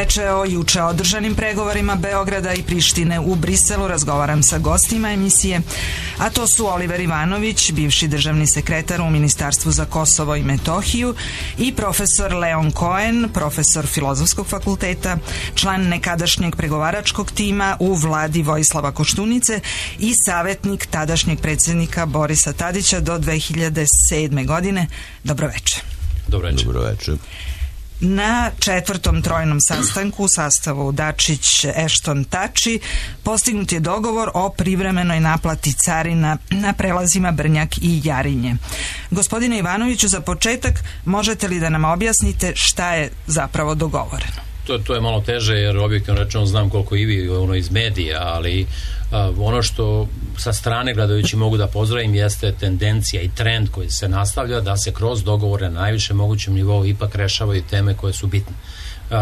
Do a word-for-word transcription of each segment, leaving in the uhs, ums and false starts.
veče. O juče održanim pregovorima Beograda i Prištine u Briselu razgovaram sa gostima emisije, a to su Oliver Ivanović, bivši državni sekretar u Ministarstvu za Kosovo i Metohiju, i profesor Leon Cohen, profesor Filozofskog fakulteta, član nekadašnjeg pregovaračkog tima u vladi Vojislava Koštunice i savjetnik tadašnjeg predsjednika Borisa Tadića do dve hiljade sedme. godine. Dobro večer. Dobro večer. Dobro večer. Na četvrtom trojnom sastanku u sastavu Dačić-Ešton-Tači postignut je dogovor o privremenoj naplati carina na prelazima Brnjak i Jarinje. Gospodine Ivanoviću, za početak možete li da nam objasnite šta je zapravo dogovoreno? To, to je malo teže jer objektivno rečeno znam koliko i vi ono iz medija, ali a, ono što sa strane gledajući mogu da pozdravim jeste tendencija i trend koji se nastavlja da se kroz dogovore na najviše mogućem nivou ipak rešavaju teme koje su bitne. Uh,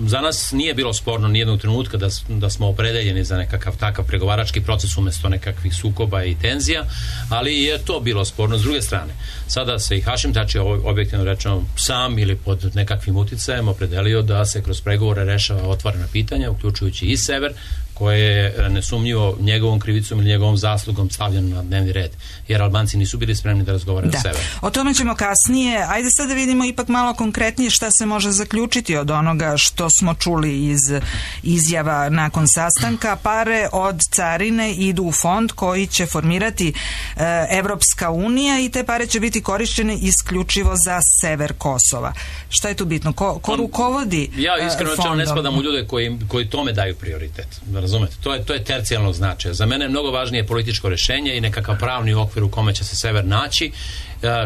za nas nije bilo sporno nijednog trenutka da, da smo opredeljeni za nekakav takav pregovarački proces umjesto nekakvih sukoba i tenzija, ali je to bilo sporno s druge strane. Sada se i Hašim Tači objektivno rečeno sam ili pod nekakvim uticajem opredelio da se kroz pregovore rešava otvorena pitanja, uključujući i sever, koje je nesumnjivo njegovom krivicom ili njegovom zaslugom stavljeno na dnevni red, jer Albanci nisu bili spremni da razgovaraju da. o severu. O tome ćemo kasnije. Ajde sad da vidimo ipak malo konkretnije šta se može zaključiti od onoga što smo čuli iz izjava nakon sastanka. Pare od carine idu u fond koji će formirati e, Evropska unija i te pare će biti korišćene isključivo za sever Kosova. Šta je tu bitno? Ko, ko rukovodi fondom? Ja iskreno ne spadam u ljude koji, koji tome daju prioritet. Razumete? To je, to je tercijalnog značaja. Za mene je mnogo važnije političko rješenje i nekakav pravni okvir u kome će se sever naći,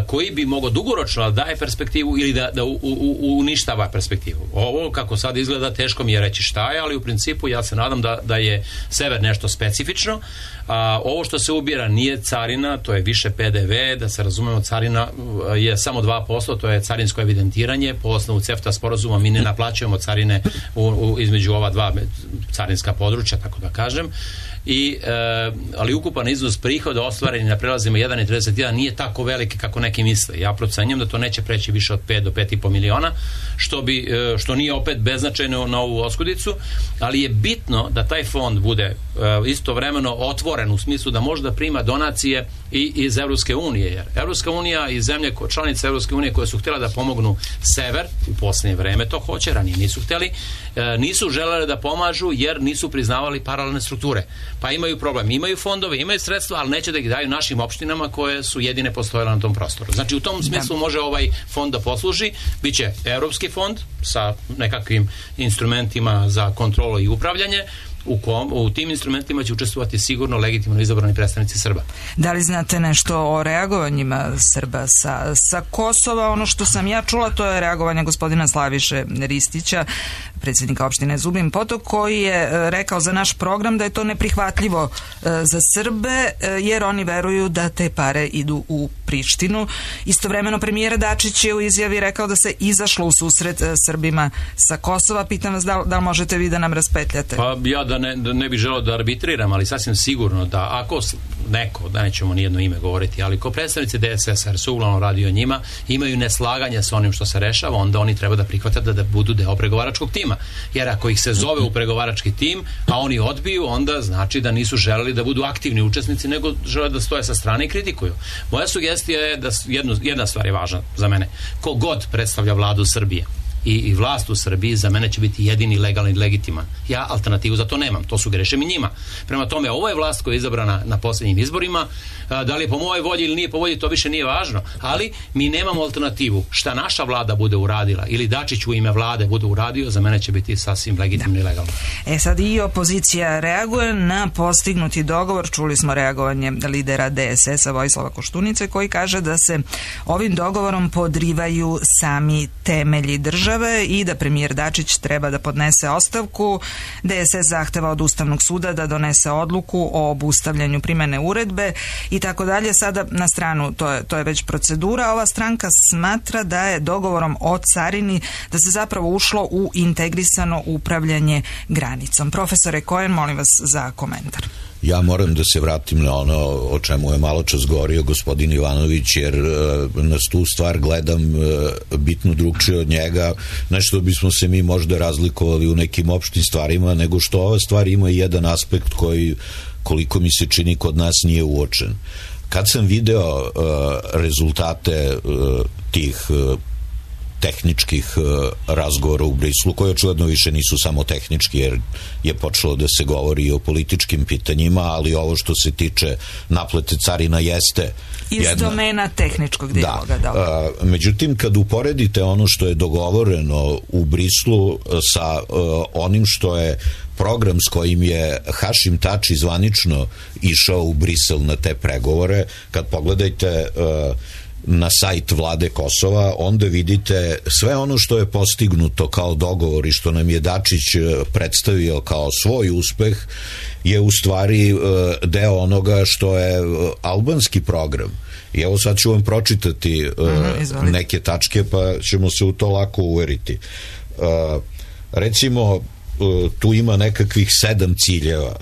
koji bi mogao dugoročno da daje perspektivu ili da, da u, u, uništava perspektivu. Ovo kako sad izgleda teško mi je reći šta je, ali u principu ja se nadam da, da je sever nešto specifično. A, ovo što se ubira nije carina, to je više P D V, da se razumemo, carina je samo dva posto, to je carinsko evidentiranje. Po osnovu CEFTA sporazuma mi ne naplaćujemo carine u, u, između ova dva carinska područja, tako da kažem. I, e, ali ukupan iznos prihoda ostvareni na prelazima jedan zarez trideset jedan nije tako veliki kako neki misle. Ja procenjujem da to neće preći više od pet do pet i po miliona, što, bi, e, što nije opet beznačajno na ovu oskudicu, ali je bitno da taj fond bude e, istovremeno otvoren u smislu da može da prima donacije i iz Evropske unije, jer Evropska unija i zemlje članice Evropske unije koje su htjela da pomognu sever u posljednje vreme to hoće, ranije nisu htjeli, e, nisu želeli da pomažu jer nisu priznavali paralelne strukture. Pa imaju problem, imaju fondove, imaju sredstva, ali neće da ih daju našim opštinama koje su jedine postojale na tom prostoru. Znači u tom smislu može ovaj fond da posluži, biće Evropski fond sa nekakvim instrumentima za kontrolu i upravljanje. U, kom, u tim instrumentima će učestvovati sigurno legitimno izabrani predstavnici Srba. Da li znate nešto o reagovanjima Srba sa, sa Kosova? Ono što sam ja čula, to je reagovanje gospodina Slaviše Ristića, predsjednika opštine Zubin Potok, koji je rekao za naš program da je to neprihvatljivo za Srbe, jer oni veruju da te pare idu u Prištinu. Istovremeno premijer Dačić je u izjavi rekao da se izašlo u susret Srbima sa Kosova. Pitam vas da, da li možete vi da nam raspetljate? Pa ja da ne, da ne bih želeo da arbitriram, ali sasvim sigurno da ako neko, da nećemo nijedno ime govoriti, ali ko predstavnici D S S-a, jer se uglavnom radi o njima, imaju neslaganja sa onim što se rešava, onda oni treba da prihvate da, da budu deo pregovaračkog tima. Jer ako ih se zove u pregovarački tim, a oni odbiju, onda znači da nisu želeli da budu aktivni učesnici, nego žele da stoje sa strane i kritikuju. Moja sugestija je da jednu, jedna stvar je važna za mene. Ko god predstavlja vladu Srbije i, i vlast u Srbiji za mene će biti jedini legalni i legitiman. Ja alternativu za to nemam, to su grešim i njima. Prema tome, ovo je vlast koja je izabrana na posljednjim izborima, da li je po mojoj volji ili nije po volji, to više nije važno, ali mi nemamo alternativu. Šta naša vlada bude uradila ili Dačić u ime vlade bude uradio, za mene će biti sasvim legitimno i legalno. E sad i opozicija reaguje na postignuti dogovor. Čuli smo reagovanje lidera D S S-a Vojislava Koštunice, koji kaže da se ovim dogovorom podrivaju sami temelji države i da premijer Dačić treba da podnese ostavku. D S S zahteva od Ustavnog suda da donese odluku o obustavljanju primene uredbe i tako dalje. Sada na stranu, to je, to je već procedura. Ova stranka smatra da je dogovorom o carini da se zapravo ušlo u integrisano upravljanje granicom. Profesore Cohen, molim vas za komentar. Ja moram da se vratim na ono o čemu je malo čas govorio gospodin Ivanović, jer na tu stvar gledam bitno drugčije od njega, nešto bismo se mi možda razlikovali u nekim opštim stvarima, nego što ova stvar ima jedan aspekt koji, koliko mi se čini, kod nas nije uočen. Kad sam video uh, rezultate uh, tih uh, tehničkih uh, razgovora u Briselu, koji očigledno više nisu samo tehnički, jer je počelo da se govori i o političkim pitanjima, ali ovo što se tiče naplate carina jeste iz jedna... domena tehničkog dijaloga. Da. Da. Uh, međutim, kad uporedite ono što je dogovoreno u Briselu sa uh, onim što je program s kojim je Hašim Tači zvanično išao u Brisel na te pregovore, kad pogledajte uh, na sajt vlade Kosova, onda vidite sve ono što je postignuto kao dogovor i što nam je Dačić predstavio kao svoj uspeh je u stvari uh, deo onoga što je uh, albanski program. I evo sad ću vam pročitati uh, mm, neke tačke, pa ćemo se u to lako uveriti. Uh, recimo, tu ima nekakvih sedam ciljeva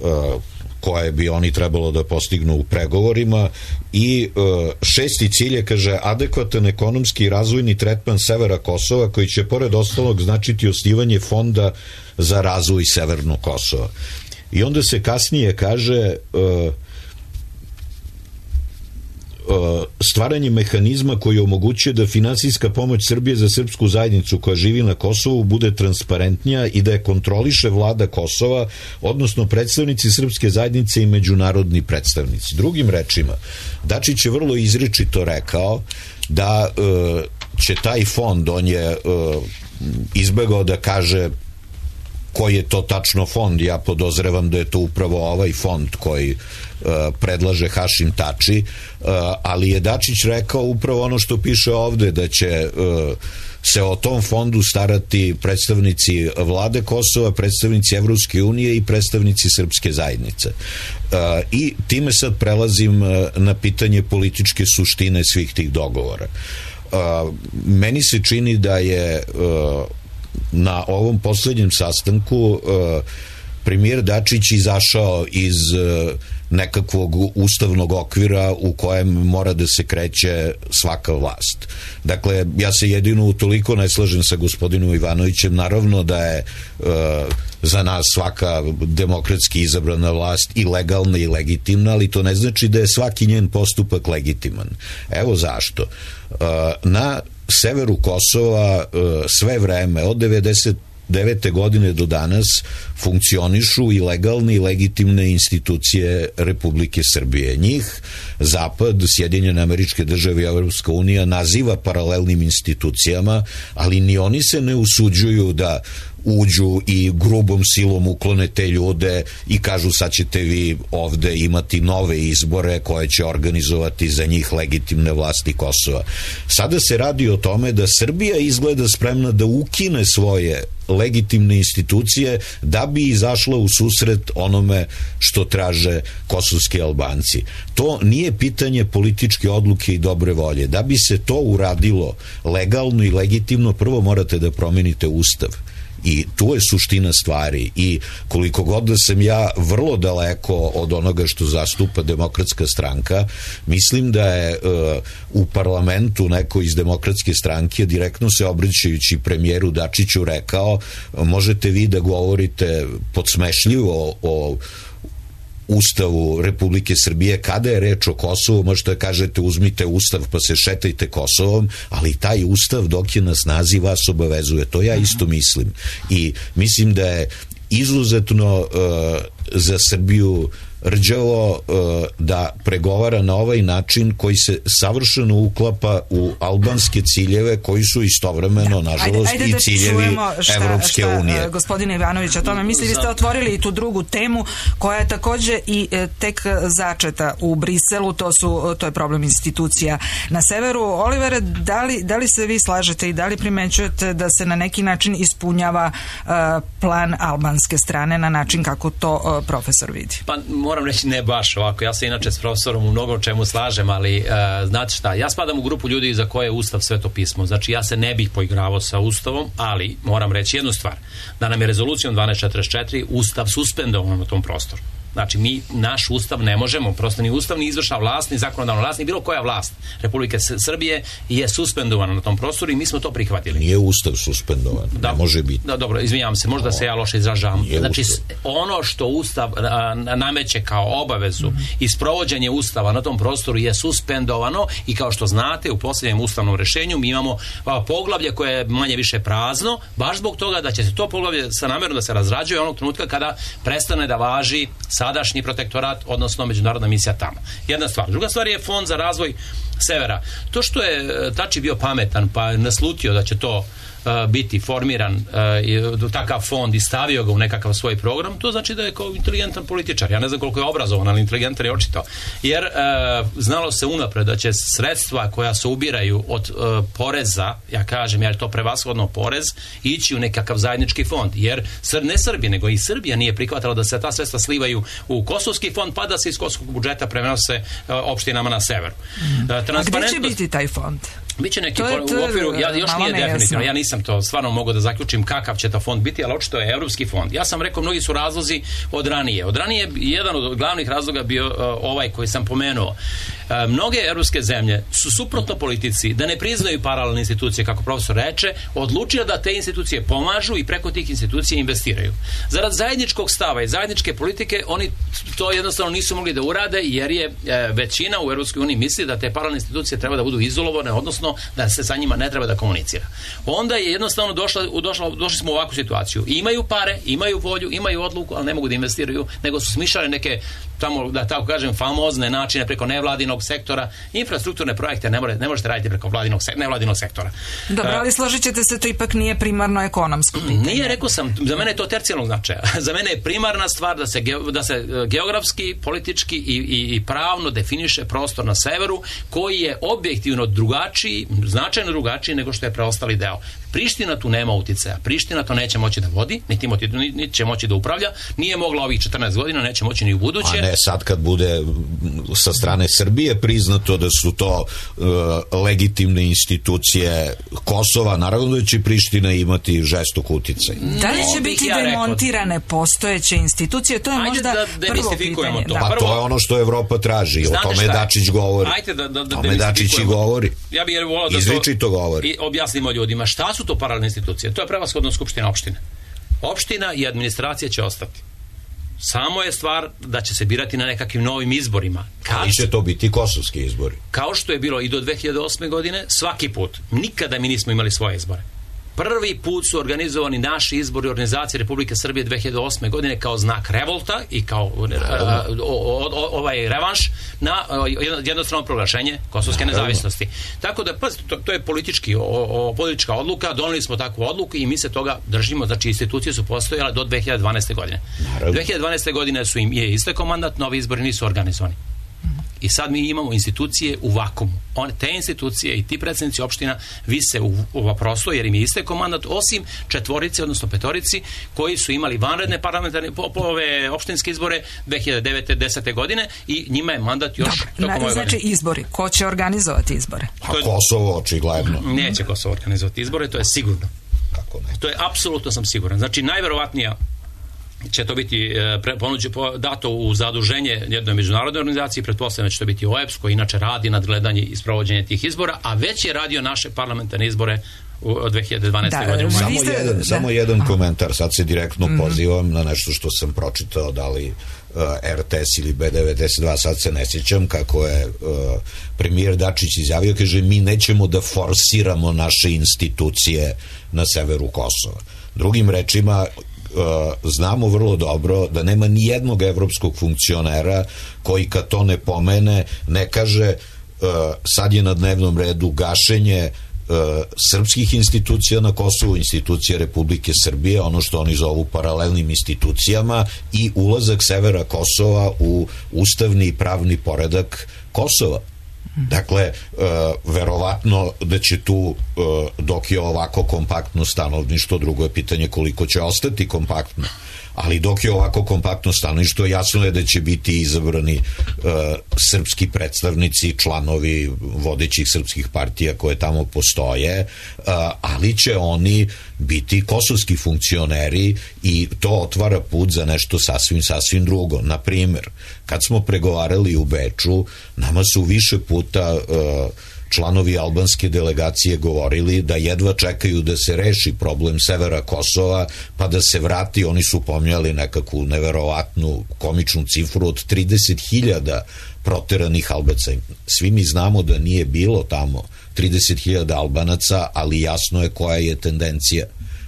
uh, koje bi oni trebalo da postignu u pregovorima i uh, šesti cilj je, kaže, adekvatan ekonomski i razvojni tretman severa Kosova, koji će pored ostalog značiti osnivanje fonda za razvoj severnog Kosova. I onda se kasnije kaže uh, stvaranje mehanizma koji omogućuje da finansijska pomoć Srbije za srpsku zajednicu koja živi na Kosovu bude transparentnija i da je kontroliše vlada Kosova, odnosno predstavnici srpske zajednice i međunarodni predstavnici. Drugim rečima, Dačić je vrlo izričito rekao da uh, će taj fond, on je uh, izbegao da kaže koji je to tačno fond. Ja podozrevam da je to upravo ovaj fond koji uh, predlaže Hašim Tači, uh, ali je Dačić rekao upravo ono što piše ovde, da će uh, se o tom fondu starati predstavnici vlade Kosova, predstavnici Evropske unije i predstavnici srpske zajednice. Uh, I time sad prelazim uh, na pitanje političke suštine svih tih dogovora. Uh, meni se čini da je uh, na ovom poslednjem sastanku uh, premijer Dačić izašao iz uh, nekakvog ustavnog okvira u kojem mora da se kreće svaka vlast. Dakle, ja se jedino utoliko ne slažem sa gospodinom Ivanovićem, naravno da je uh, za nas svaka demokratski izabrana vlast i legalna i legitimna, ali to ne znači da je svaki njen postupak legitiman. Evo zašto. Uh, na severu Kosova sve vreme od devedeset devete godine do danas funkcionišu i legalne i legitimne institucije Republike Srbije. Njih Zapad, Sjedinjene Američke Države i Evropska unija naziva paralelnim institucijama, ali ni oni se ne usuđuju da uđu i grubom silom uklone te ljude i kažu sad ćete vi ovde imati nove izbore koje će organizovati za njih legitimne vlasti Kosova. Sada se radi o tome da Srbija izgleda spremna da ukine svoje legitimne institucije da bi izašla u susret onome što traže kosovski Albanci. To nije pitanje političke odluke i dobre volje. Da bi se to uradilo legalno i legitimno, prvo morate da promenite ustav. I tu je suština stvari i koliko god da sam ja vrlo daleko od onoga što zastupa Demokratska stranka, mislim da je uh, u parlamentu neko iz Demokratske stranke direktno se obraćajući premijeru Dačiću rekao, možete vi da govorite podsmešljivo o Ustavu Republike Srbije, kada je reč o Kosovu, možete da kažete uzmite Ustav pa se šetajte Kosovom, ali taj Ustav dok je na snazi vas obavezuje. To ja isto mislim. I mislim da je izuzetno uh, za Srbiju rđavo uh, da pregovara na ovaj način koji se savršeno uklapa u albanske ciljeve koji su istovremeno, da. nažalost, ajde, ajde i ciljevi šta, Evropske šta, unije. Gospodine Ivanović, o tome misli, vi ste otvorili i tu drugu temu koja je takođe i tek začeta u Briselu, to, su, to je problem institucija na severu. Olivere, da li, da li se vi slažete i da li primećujete da se na neki način ispunjava uh, plan albanske strane na način kako to uh, profesor vidi? Pa moram reći ne baš ovako, ja se inače s profesorom u mnogo čemu slažem, ali uh, znate šta, ja spadam u grupu ljudi za koje je Ustav sveto pismo, znači ja se ne bih poigravao sa Ustavom, ali moram reći jednu stvar, da nam je rezolucijom dvanaest četrdeset četiri Ustav suspendovan na tom prostoru. Znači, mi naš ustav ne možemo, prosto ni ustav, ni izvršna vlast, ni zakonodavna vlast, ni bilo koja vlast Republike Srbije je suspendovana na tom prostoru i mi smo to prihvatili. Nije ustav suspendovan, da, ne može biti. Da, dobro, izvinjavam se, možda no, se ja loše izražavam. Znači, ustav. ono što ustav a, nameće kao obavezu mm-hmm. i sprovođenje ustava na tom prostoru je suspendovano i kao što znate, u posljednjem ustavnom rešenju mi imamo a, poglavlje koje je manje više prazno, baš zbog toga da će se to poglavlje sa namjerom da se razrađuje onog trenutka kada prestane da važi sadašnji protektorat, odnosno međunarodna misija tamo. Jedna stvar. Druga stvar je Fond za razvoj severa. To što je Tači bio pametan pa je naslutio da će to uh, biti formiran uh, takav fond i stavio ga u nekakav svoj program, to znači da je kao inteligentan političar. Ja ne znam koliko je obrazovan, ali inteligentan je očito. Jer uh, znalo se unapred da će sredstva koja se ubiraju od uh, poreza, ja kažem, jer je to prevashodno porez, ići u nekakav zajednički fond. Jer ne Srbija, nego i Srbija nije prihvatala da se ta sredstva slivaju u kosovski fond, pa da se iz kosovskog budžeta prenose uh, opštinama na severu. Uh, A gdje će biti taj fond? Biće neki to je, to je, u okviru, ja, još nije definitivno, ja nisam to stvarno mogu da zaključim kakav će to fond biti, ali očito je evropski fond. Ja sam rekao, mnogi su razlozi od ranije. Od ranije jedan od glavnih razloga bio uh, ovaj koji sam pomenuo. Uh, mnoge evropske zemlje su suprotno politici da ne priznaju paralelne institucije, kako profesor reče, odlučile da te institucije pomažu i preko tih institucija investiraju. Zarad zajedničkog stava i zajedničke politike oni to jednostavno nisu mogli da urade jer je uh, većina u Evropskoj uniji misli da te paralelne institucije treba da budu izolovane, odnosno da se sa njima ne treba da komunicira. Onda je jednostavno došla, došla, došli smo u ovakvu situaciju. Imaju pare, imaju volju, imaju odluku, ali ne mogu da investiraju, nego su smišljali neke tamo, da tako kažem, famozne načine preko nevladinog sektora. Infrastrukturne projekte ne, more, ne možete raditi preko vladinog, nevladinog sektora. Dobro, ali složit ćete se, to ipak nije primarno ekonomsko pitanje. Nije, rekao sam, za mene je to tercijalnog značaja. Za mene je primarna stvar da se, da se geografski, politički i, i, i pravno definiše prostor na severu koji je objektivno drugačiji, značajno drugačiji nego što je preostali deo. Priština tu nema uticaja. Priština to neće moći da vodi, niti, niti će moći da upravlja. Nije mogla ovih četrnaest godina, neće moći ni u buduće. A ne, sad kad bude sa strane Srbije priznato da su to uh, legitimne institucije Kosova, naravno da će Priština imati žestok uticaj. Da li će biti ja demontirane postojeće institucije? To je ajde možda da prvo pitanje. To. Da. Pa to je ono što Evropa traži. Znate o tome Dačić govori. Ajde da, da, da tome Dačić i govori. Ja bih volao da Izriči to govori. I objasnimo ljudima šta su to paralelne institucije. To je prevashodno skupština opštine. Opština i administracija će ostati. Samo je stvar da će se birati na nekakvim novim izborima. Ali će to biti kosovski izbori. Kao što je bilo i do dve hiljade osme godine, svaki put. Nikada mi nismo imali svoje izbore. Prvi put su organizovani naši izbori organizacije Republike Srbije dve hiljade osme godine kao znak revolta i kao a, o, o, ovaj revanš na jednostrano proglašenje kosovske nezavisnosti. Tako da, pa, to, to je politički, o, o, politička odluka, doneli smo takvu odluku i mi se toga držimo, znači institucije su postojale do dve hiljade dvanaeste godine. Naravno. dve hiljade dvanaeste godine su im je istekao mandat, novi izbori nisu organizovani. I sad mi imamo institucije u vakumu. One, te institucije i ti predsjednici opština vise u, u prosto jer im je istekao mandat, osim četvorice, odnosno petorici, koji su imali vanredne parlamentarne po, po ove opštinske izbore dve hiljade devete desete godine i njima je mandat još tokom ove godine. Znači izbori. Ko će organizovati izbore? A Kosovo, očigledno. Neće Kosovo organizovati izbore, to je sigurno. Kako ne? To je apsolutno sam siguran. Znači najverovatnija će to biti pre, ponuđe, po, dato u zaduženje jednoj međunarodnoj organizaciji, pretpostavljam da će to biti O E B S koji inače radi nadgledanje i sprovođenje tih izbora, a već je radio naše parlamentarne izbore u dve hiljade dvanaeste. Da, godine. Samo jedan, da. samo jedan komentar, sad se direktno mm-hmm. pozivam na nešto što sam pročitao, da li uh, R T S ili B devedeset dva, sad se ne sjećam, kako je uh, premijer Dačić izjavio, kaže, mi nećemo da forsiramo naše institucije na severu Kosova. Drugim rečima, Uh, znamo vrlo dobro da nema ni jednog evropskog funkcionera koji kad to ne pomene ne kaže uh, sad je na dnevnom redu gašenje uh, srpskih institucija na Kosovu, institucija Republike Srbije, ono što oni zovu paralelnim institucijama, i ulazak severa Kosova u ustavni i pravni poredak Kosova. Dakle, uh, verovatno da će tu, uh, dok je ovako kompaktno stanovništvo, drugo je pitanje koliko će ostati kompaktno, ali dok je ovako kompaktno stanovništvo, jasno je da će biti izabrani uh, srpski predstavnici, članovi vodećih srpskih partija koje tamo postoje, uh, ali će oni biti kosovski funkcioneri i to otvara put za nešto sasvim, sasvim drugo. Na primer, kad smo pregovarali u Beču, nama su više puta uh, članovi albanske delegacije govorili da jedva čekaju da se reši problem severa Kosova, pa da se vrati. Oni su pomnjali nekakvu neverovatnu komičnu cifru od trideset hiljada proteranih Albaca. Svi mi znamo da nije bilo tamo trideset hiljada Albanaca, ali jasno je koja je tendencija.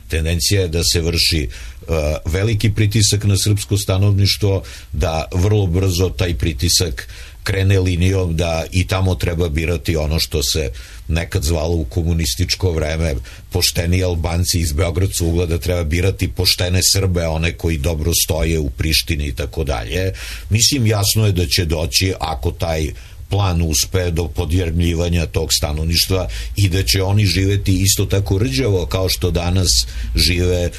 Tendencija je da se vrši uh, veliki pritisak na srpsko stanovništvo, da vrlo brzo taj pritisak krene linijom da i tamo treba birati ono što se nekad zvalo u komunističko vreme pošteni Albanci iz Beogradskog ugla, da treba birati poštene Srbe, one koji dobro stoje u Prištini i tako dalje. Mislim, jasno je da će doći, ako taj plan uspe, do podjermljivanja tog stanovništva i da će oni živeti isto tako rđavo kao što danas žive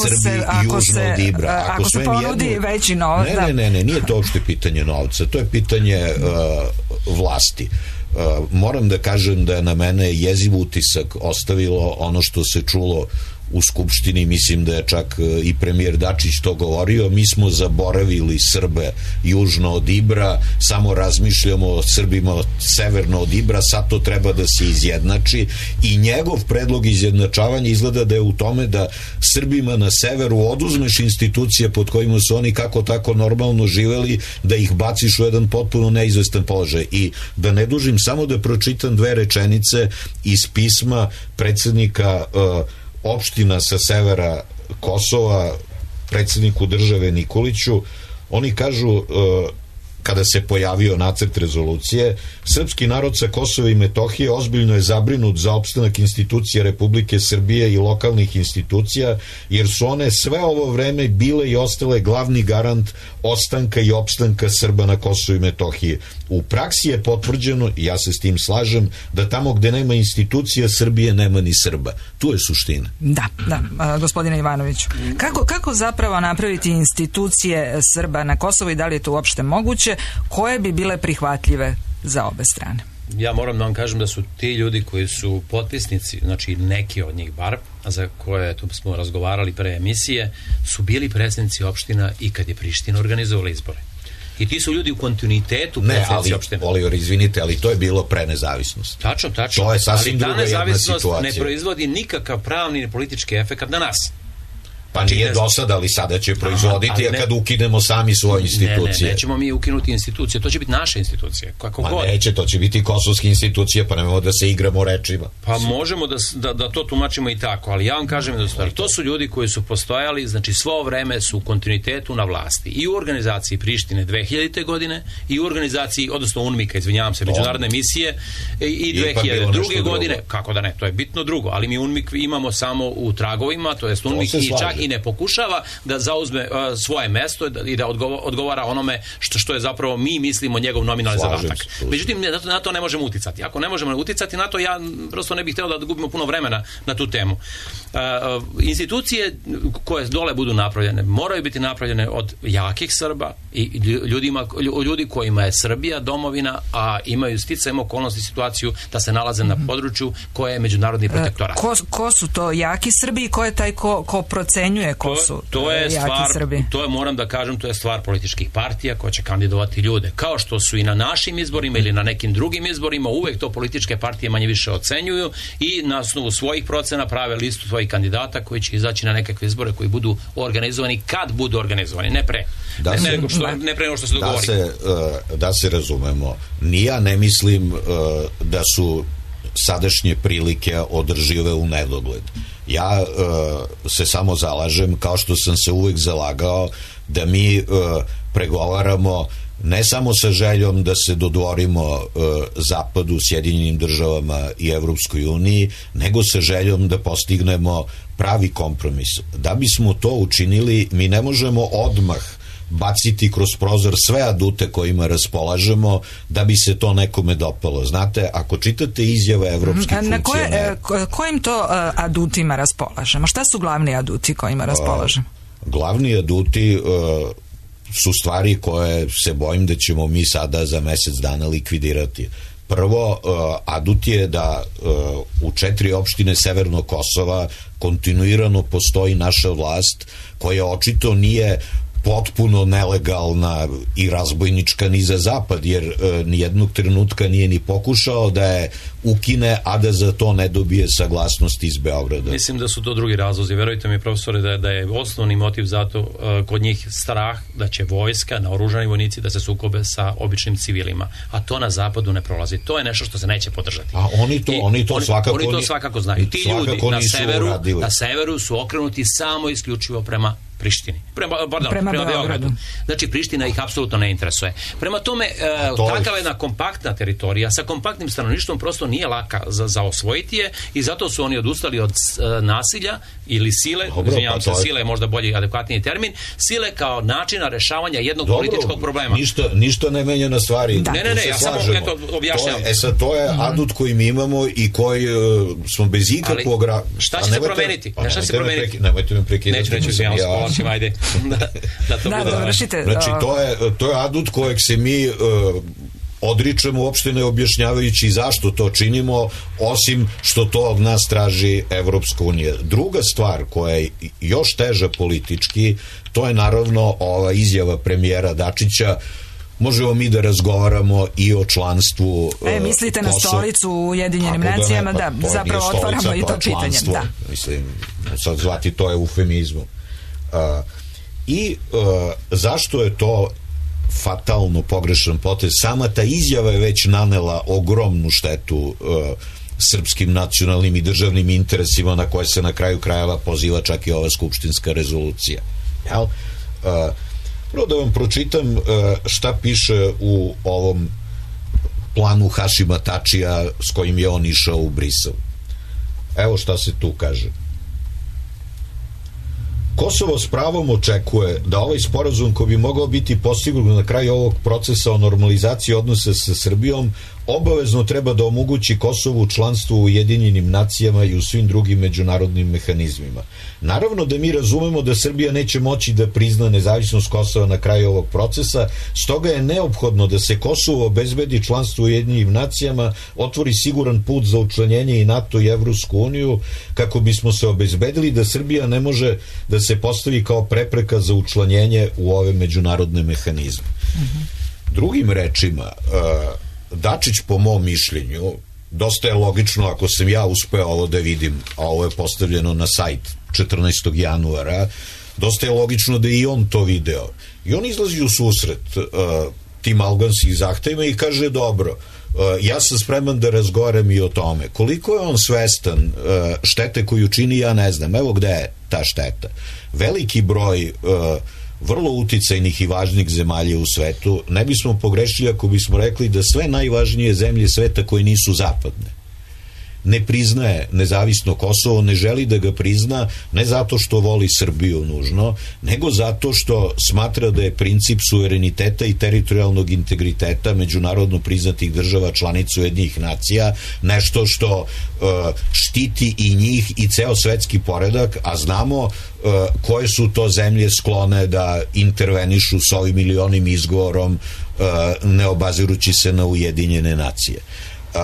Srbi se, južno se, od Ibra. Ako, ako se ponudi jedno, veći novac. Ne, ne, ne, ne, nije to uopšte pitanje novca, to je pitanje uh, vlasti. Uh, moram da kažem da je na mene jeziv utisak ostavilo ono što se čulo u Skupštini, mislim da je čak i premijer Dačić to govorio, mi smo zaboravili Srbe južno od Ibra, samo razmišljamo o Srbima severno od Ibra, sad to treba da se izjednači i njegov predlog izjednačavanja izgleda da je u tome da Srbima na severu oduzmeš institucije pod kojima su oni kako tako normalno živeli, da ih baciš u jedan potpuno neizvestan položaj. I da ne dužim, samo da pročitam dve rečenice iz pisma predsednika uh, opština sa severa Kosova predsjedniku države Nikoliću. Oni kažu, kada se pojavio nacrt rezolucije, srpski narod sa Kosova i Metohije ozbiljno je zabrinut za opstanak institucija Republike Srbije i lokalnih institucija, jer su one sve ovo vreme bile i ostale glavni garant ostanka i opstanka Srba na Kosovu i Metohiji. U praksi je potvrđeno, i ja se s tim slažem, da tamo gde nema institucija Srbije nema ni Srba. Tu je suština. Da, da, a, gospodine Ivanoviću. Kako, kako zapravo napraviti institucije Srba na Kosovu i da li je to uopšte moguće, koje bi bile prihvatljive za obe strane? Ja moram da vam kažem da su ti ljudi koji su potpisnici, znači neki od njih bar, a za koje tu smo razgovarali pre emisije, su bili predsjednici opština i kad je Priština organizovala izbore. I ti su ljudi u kontinuitetu predsjednici opštine. Ne, ali, Oliver, izvinite, ali to je bilo pre nezavisnosti. Tačno, tačno. To je sasvim druga jedna situacija. Ali ta nezavisnost ne proizvodi nikakav pravni ni politički efekt na nas. Pa nije do sada, ali sada će proizvoditi, a kad ukinemo sami svoje institucije. Ne, ne, nećemo mi ukinuti institucije, to će biti naše institucije. Kako pa god. Neće, to će biti kosovske institucije, pa nemamo da se igramo rečima. Pa možemo da, da, da to tumačimo i tako, ali ja vam kažem jednu stvar, to su ljudi koji su postojali, znači svo vreme su u kontinuitetu na vlasti. I u organizaciji Prištine dve hiljadite godine, i u organizaciji, odnosno UNMIK-a, izvinjavam se, međunarodne misije, i, i dve hiljade druge godine, kako da ne, to je bitno drugo, ali mi UNMIK imamo samo u tragovima, to je UNMIK i čak i ne pokušava da zauzme uh, svoje mesto i da odgovara, odgovara onome što, što je zapravo mi mislimo njegov nominalni zadatak. Međutim, na to, na to ne možemo uticati. Ako ne možemo uticati na to, ja prosto ne bih htio da gubimo puno vremena na tu temu. Uh, institucije koje dole budu napravljene, moraju biti napravljene od jakih Srba i ljudima, ljudi kojima je Srbija domovina, a imaju sticajem okolnosti situaciju da se nalaze na području koje je međunarodni protektorat. Ko, ko su to jaki Srbi i ko je taj ko, ko procenjuje ko su to, to je jaki stvar, Srbi? To je, moram da kažem, to je stvar političkih partija koje će kandidovati ljude. Kao što su i na našim izborima ili na nekim drugim izborima, uvek to političke partije manje više ocenjuju i na osnovu svojih procena prave listu svojih kandidata koji će izaći na nekakve izbore koji budu organizovani kad budu organizovani, ne pre. Da ne, se, ne, što, ne pre nego što se dogovori. Da se, uh, da se razumemo. Ni ja ne mislim uh, da su sadašnje prilike održive u nedogled. Ja uh, se samo zalažem, kao što sam se uvek zalagao, da mi uh, pregovaramo ne samo sa željom da se dodvorimo uh, Zapadu, Sjedinjenim državama i Evropskoj uniji, nego sa željom da postignemo pravi kompromis. Da bismo to učinili, mi ne možemo odmah baciti kroz prozor sve adute kojima raspolažemo da bi se to nekome dopalo. Znate, ako čitate izjave evropskih funkcionera... Na koje, kojim to adutima raspolažemo? Šta su glavni aduti kojima raspolažemo? Glavni aduti uh, su stvari koje se bojim da ćemo mi sada za mesec dana likvidirati. Prvo, uh, adut je da uh, u četiri opštine Severnog Kosova kontinuirano postoji naša vlast koja očito nije potpuno nelegalna i razbojnička ni za zapad, jer e, nijednog trenutka nije ni pokušao da je ukine, a da za to ne dobije saglasnost iz Beograda. Mislim da su to drugi razlozi. Verujte mi, profesore, da, da je osnovni motiv zato uh, kod njih strah da će vojska, naoružani vojnici da se sukobe sa običnim civilima. A to na zapadu ne prolazi. To je nešto što se neće podržati. A oni to, I, oni to, oni, svakako, oni to svakako znaju. Ti ljudi na severu, na severu su okrenuti samo isključivo prema Prištini. Prema, pardon, prema, prema Beogradu. Znači, Priština ih apsolutno ne interesuje. Prema tome, e, takava jedna kompaktna teritorija sa kompaktnim stanovništvom prosto nije laka za, za osvojiti je i zato su oni odustali od e, nasilja ili sile, izvinjavam se, sile je možda bolji i adekvatniji termin, sile kao načina rešavanja jednog Dobro, političkog problema. Ništa, ništa ne menja na stvari. Da. Ne, ne, ne, ja samo eto, objašnjam. To je, e sad, to je mm. adut koji mi imamo i koji uh, smo bez ikakvog... Ali, šta će se promeniti? Pa, šta će se promeniti? Preki, nemojte me prekidati. Neću, neću, izvinjavam se, povlačim, ajde. da, da to da, bude. Dovršite. Znači, to je, to je adut kojeg se mi... Uh, odričemo uopšte ne objašnjavajući zašto to činimo, osim što to od nas traži Evropska unija. Druga stvar koja je još teža politički, to je naravno ova izjava premijera Dačića. Možemo mi da razgovaramo i o članstvu E, mislite uh, na stolicu u Ujedinjenim nacijama, da, da zapravo otvaramo stolica, i to pitanje. Da. Mislim, sad zvati to eufemizmom. Uh, I uh, zašto je to fatalno pogrešan potez? Sama ta izjava je već nanela ogromnu štetu uh, srpskim nacionalnim i državnim interesima na koje se na kraju krajeva poziva čak i ova skupštinska rezolucija. Jel? Uh, prvo da vam pročitam uh, šta piše u ovom planu Hašima Tačija s kojim je on išao u Brisel. Evo šta se tu kaže. Kosovo s pravom očekuje da ovaj sporazum koji bi mogao biti postignut na kraju ovog procesa o normalizaciji odnosa sa Srbijom obavezno treba da omogući Kosovu članstvo u Ujedinjenim nacijama i u svim drugim međunarodnim mehanizmima. Naravno da mi razumemo da Srbija neće moći da prizna nezavisnost Kosova na kraju ovog procesa, stoga je neophodno da se Kosovo obezbedi članstvo u Ujedinjenim nacijama, otvori siguran put za učlanjenje i NATO i Evropsku uniju, kako bismo se obezbedili da Srbija ne može da se postavi kao prepreka za učlanjenje u ove međunarodne mehanizme. Mm-hmm. Drugim rečima, uh, Dačić, po mom mišljenju, dosta je logično, ako sam ja uspeo ovo da vidim, a ovo je postavljeno na sajt četrnaestog januara, dosta je logično da i on to video. I on izlazi u susret uh, tim albanskim zahtevima i kaže, dobro, uh, ja sam spreman da razgovaram i o tome. Koliko je on svestan uh, štete koju čini, ja ne znam. Evo gde je ta šteta. Veliki broj uh, vrlo uticajnih i važnih zemalja u svetu, ne bismo pogrešili ako bismo rekli da sve najvažnije zemlje sveta koje nisu zapadne ne priznaje nezavisno Kosovo, ne želi da ga prizna, ne zato što voli Srbiju nužno, nego zato što smatra da je princip suvereniteta i teritorijalnog integriteta međunarodno priznatih država članica Ujedinjenih nacija nešto što uh, štiti i njih i ceo svetski poredak, a znamo uh, koje su to zemlje sklone da intervenišu s ovim milionim izgovorom uh, ne obazirući se na Ujedinjene nacije. Uh,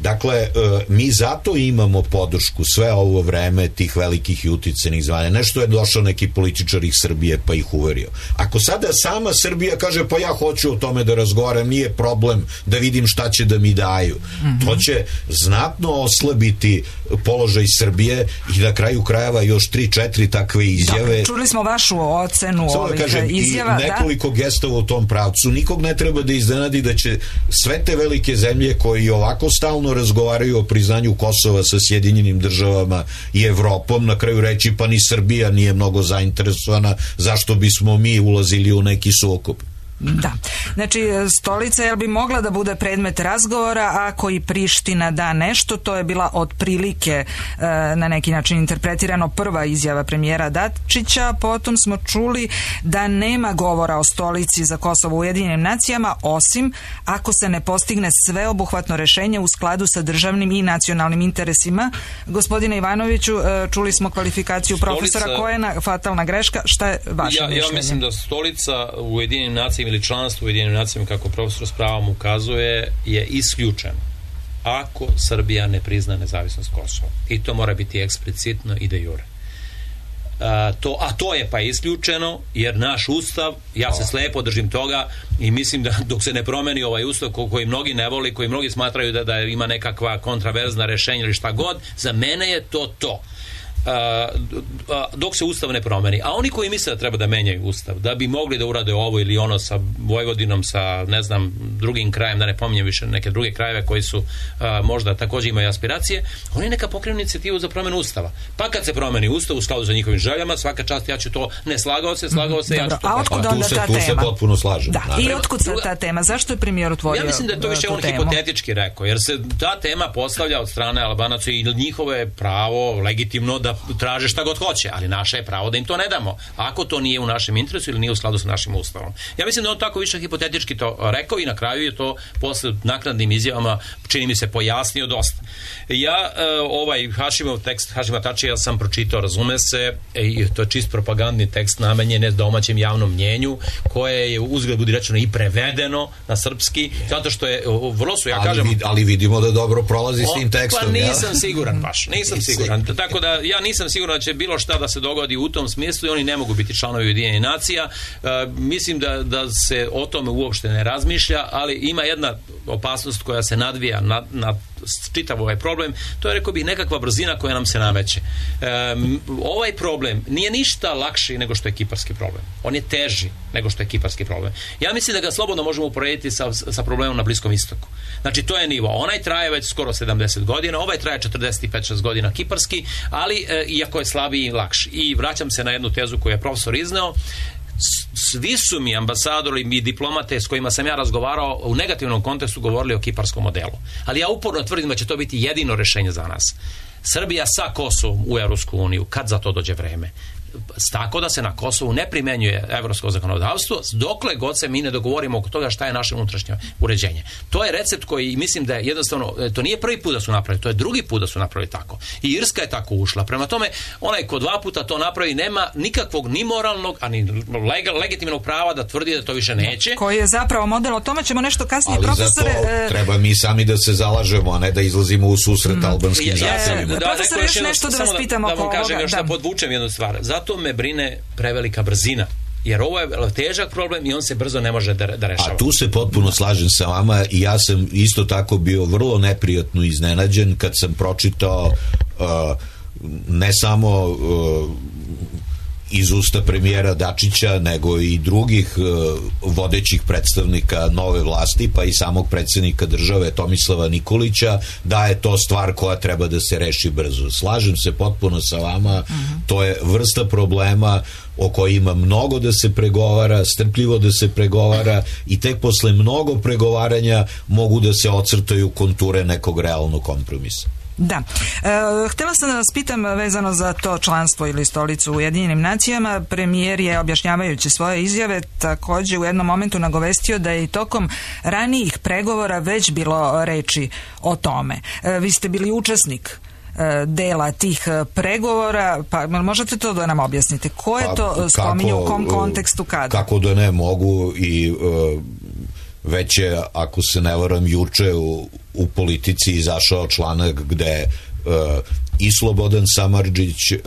Dakle, mi zato imamo podršku sve ovo vreme tih velikih i uticenih zvanja. Nešto je došao neki političar iz Srbije pa ih uverio. Ako sada sama Srbija kaže pa ja hoću o tome da razgovaram, nije problem da vidim šta će da mi daju. Mm-hmm. To će znatno oslabiti položaj Srbije i na kraju krajeva još tri, četiri takve izjave. Dakle, čuli smo vašu ocenu Samo ovih da kažem, izjava. I nekoliko da? gestova u tom pravcu. Nikog ne treba da iznenadi da će sve te velike zemlje koji ovako stalno razgovaraju o priznanju Kosova sa Sjedinjenim državama i Evropom na kraju reći pa ni Srbija nije mnogo zainteresovana, zašto bismo mi ulazili u neki sukob. Da. Znači, stolica jel bi mogla da bude predmet razgovora ako i Priština da nešto, to je bila otprilike e, na neki način interpretirano prva izjava premijera Dačića, potom smo čuli da nema govora o stolici za Kosovo u Ujedinjenim nacijama, osim ako se ne postigne sveobuhvatno rešenje u skladu sa državnim i nacionalnim interesima. Gospodine Ivanoviću, e, čuli smo kvalifikaciju stolica, profesora Kojena, fatalna greška, šta je vaše ja, mišljenje? Ja mislim da stolica u Ujedinjenim nacijama ili članstvo u Ujedinjenim nacijama, kako profesor s pravom ukazuje, je isključeno ako Srbija ne prizna nezavisnost Kosova. I to mora biti eksplicitno i de jure. A to, a to je pa isključeno jer naš ustav, ja se slepo držim toga i mislim da dok se ne promeni ovaj ustav ko, koji mnogi ne voli, koji mnogi smatraju da, da ima nekakva kontraverzna rešenja ili šta god, za mene je to to. Uh, uh, dok se ustav ne promeni. A oni koji misle da treba da menjaju ustav, da bi mogli da urade ovo ili ono sa Vojvodinom, sa ne znam drugim krajem, da ne pominjem više neke druge krajeve koji su uh, možda također imaju aspiracije, oni neka pokrenu inicijativu za promenu ustava. Pa kad se promeni ustav u skladu sa njihovim željama, svaka čast, ja ću to, ne slagao se, slagao se, Dobro, ja ću to. A otkud onda ta tema? Tu se potpuno slažem. Da, i otkud se ta tema? Zašto je premijer otvorio tu temu? Ja mislim da je to više on temu? hipotetički rekao, jer se ta tema postavlja od strane Albanaca i njihovo je pravo legitimno da traže šta god hoće, ali naše je pravo da im to ne damo, ako to nije u našem interesu ili nije u skladu sa našim ustavom. Ja mislim da on tako više hipotetički to rekao i na kraju je to posle naknadnim izjavama, čini mi se, pojasnio dosta. Ja ovaj Hašimov tekst, Hašima Tačija sam pročitao, razume se, i to je čist propagandni tekst namenjen domaćem javnom mnjenju, koje je uzgled budi rečeno i prevedeno na srpski, zato što je vrlo su, ja ali kažem... Vid, ali vidimo da dobro prolazi s tim tekstom. Pa nisam ja? siguran baš, nisam siguran. Tako da ja nisam siguran da će bilo šta da se dogodi u tom smislu i oni ne mogu biti članovi Ujedinjenih nacija. E, mislim da, da se o tome uopšte ne razmišlja, ali ima jedna opasnost koja se nadvija na, na čitav ovaj problem, to je, rekao bih, nekakva brzina koja nam se nameće. E, ovaj problem nije ništa lakši nego što je kiparski problem. On je teži nego što je kiparski problem. Ja mislim da ga slobodno možemo uporediti sa, sa problemom na Bliskom istoku. Znači, to je nivo. Onaj traje već skoro sedamdeset godina, ovaj traje četrdeset pet šest godina kiparski, ali e, iako je slabiji i lakši. I vraćam se na jednu tezu koju je profesor izneo. Svi su mi ambasadori i diplomate s kojima sam ja razgovarao u negativnom kontekstu govorili o kiparskom modelu. Ali ja uporno tvrdim da će to biti jedino rešenje za nas. Srbija sa Kosovom u Evropsku uniju, kad za to dođe vreme. Tako da se na Kosovu ne primenjuje evropsko zakonodavstvo, dokle god se mi ne dogovorimo oko toga šta je naše unutrašnje uređenje. To je recept koji mislim da je jednostavno, to nije prvi put da su napravili, to je drugi put da su napravili tako. I Irska je tako ušla. Prema tome, onaj ko dva puta to napravi nema nikakvog ni moralnog, ani legal, legitimnog prava da tvrdi da to više neće. Koji je zapravo model, o tome ćemo nešto kasnije, ali profesore. Ali za to treba mi sami da se zalažemo, a ne da izlazimo u susret mm. albanskim ja, zahtjevima. Da, da, profesor, još nešto da vas pitamo oko ovoga. Da vam kažem, još da podvučem jednu stvar. Zato me brine prevelika brzina. Jer ovo je težak problem i on se brzo ne može da, da rešava. A tu se potpuno slažem sa vama i ja sam isto tako bio vrlo neprijatno iznenađen kad sam pročitao uh, ne samo uh, iz usta premijera Dačića, nego i drugih uh, vodećih predstavnika nove vlasti, pa i samog predsjednika države Tomislava Nikolića, da je to stvar koja treba da se reši brzo. Slažem se potpuno sa vama, uh-huh. To je vrsta problema o kojima mnogo da se pregovara, strpljivo da se pregovara i tek posle mnogo pregovaranja mogu da se ocrtaju konture nekog realnog kompromisa. Da. E, htjela sam da vas pitam vezano za to članstvo ili stolicu u Ujedinjenim nacijama. Premijer je, objašnjavajući svoje izjave, također u jednom momentu nagovestio da je i tokom ranijih pregovora već bilo reči o tome. E, vi ste bili učesnik dela tih pregovora, pa možete to da nam objasnite? Ko je to pa, spominju, u kom kontekstu, kada? Kako da ne mogu i uh, već je, ako se ne varam, juče u, u Politici izašao članak gde uh, i Slobodan Samardžić uh,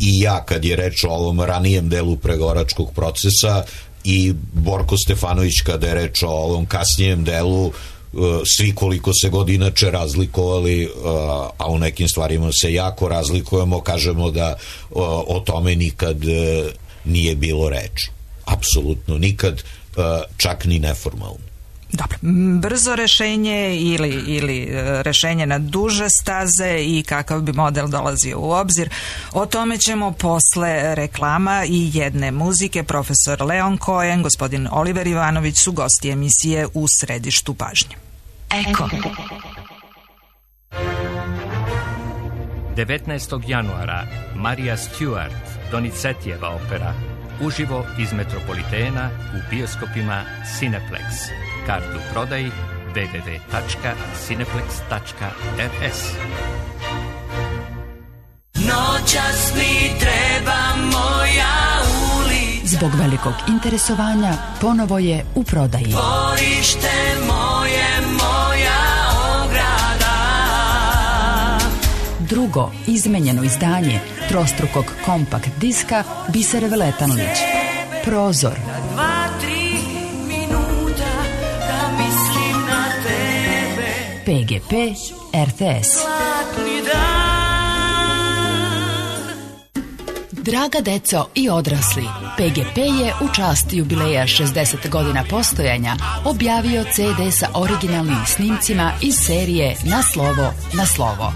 i ja, kad je reč o ovom ranijem delu pregovaračkog procesa, i Borko Stefanović kada je reč o ovom kasnijem delu, svi koliko se god inače razlikovali, a u nekim stvarima se jako razlikujemo, kažemo da o tome nikad nije bilo reč. Apsolutno nikad, čak ni neformalno. Dobro, brzo rešenje ili, ili rešenje na duže staze i kakav bi model dolazio u obzir, o tome ćemo posle reklama i jedne muzike. Profesor Leon Cohen, gospodin Oliver Ivanović su gosti emisije U središtu pažnje. Eko. devetnaestog januara Marija Stewart, Donizetijeva opera, uživo iz Metropolitena u bioskopima Cineplex. Kartu prodaji w w w tačka cineplex tačka r s. Noćas mi treba moja ulica. Zbog velikog interesovanja ponovo je u prodaji. Dvorište moje, moja ograda. Drugo izmenjeno izdanje trostrukog kompakt diska Bisere Veletanlić. Prozor. Dva, tri minuta da mislim na tebe. P G P R T S. Zlatni dan. Draga deco i odrasli, P G P je u čast jubileja šezdeset godina postojanja objavio C D sa originalnim snimcima iz serije Na slovo, na slovo.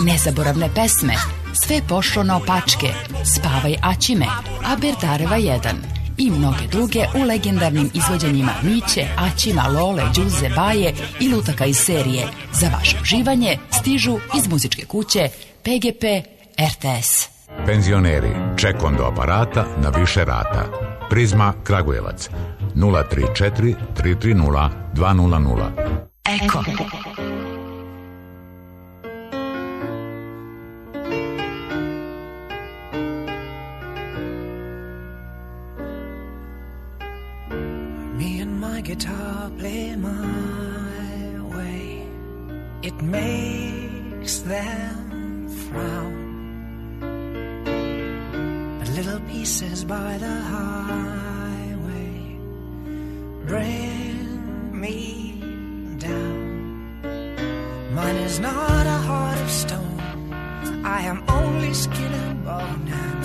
Nezaboravne pesme, Sve pošlo naopačke, Spavaj Aćime, Aberdareva jedan i mnoge druge u legendarnim izvođenjima Miće, Aćima, Lole, Đuze, Baje i lutaka iz serije. Za vaše uživanje stižu iz muzičke kuće P G P R T S. Penzioneri, čekom do aparata na više rata. Prizma Kragujevac nula tri četiri tri tri nula dva nula nula. Eko. Me and my guitar play my way. It makes them frown. Little pieces by the highway bring me down. Mine is not a heart of stone. I am only skin and bone, and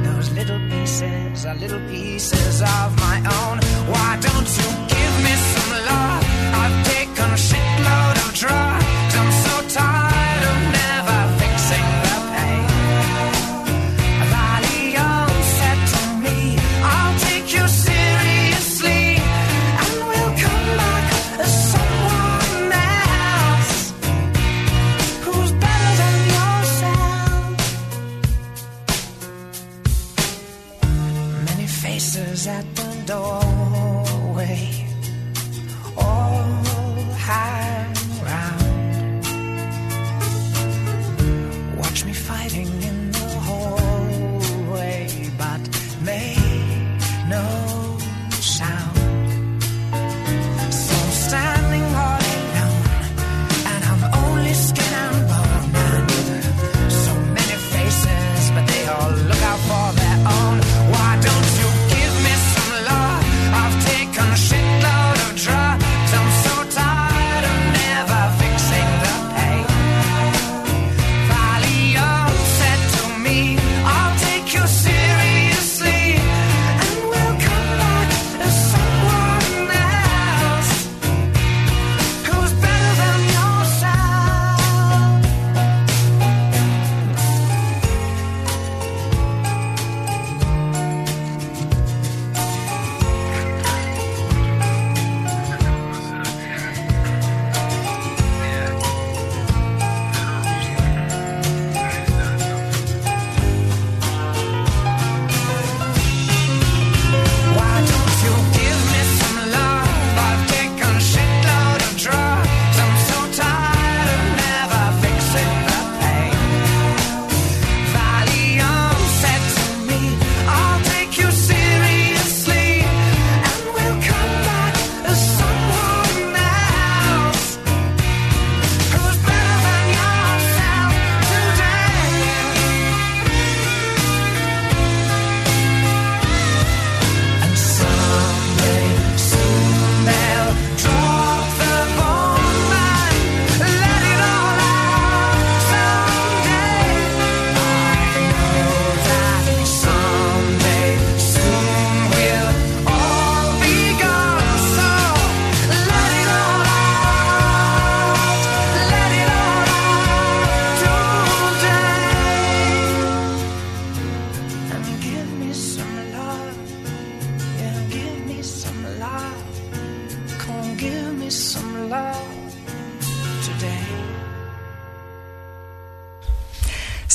those little pieces are little pieces of my own. Why don't you give me some love? I've taken a shitload of drugs. I'm so tired of never fixing the pain. At the door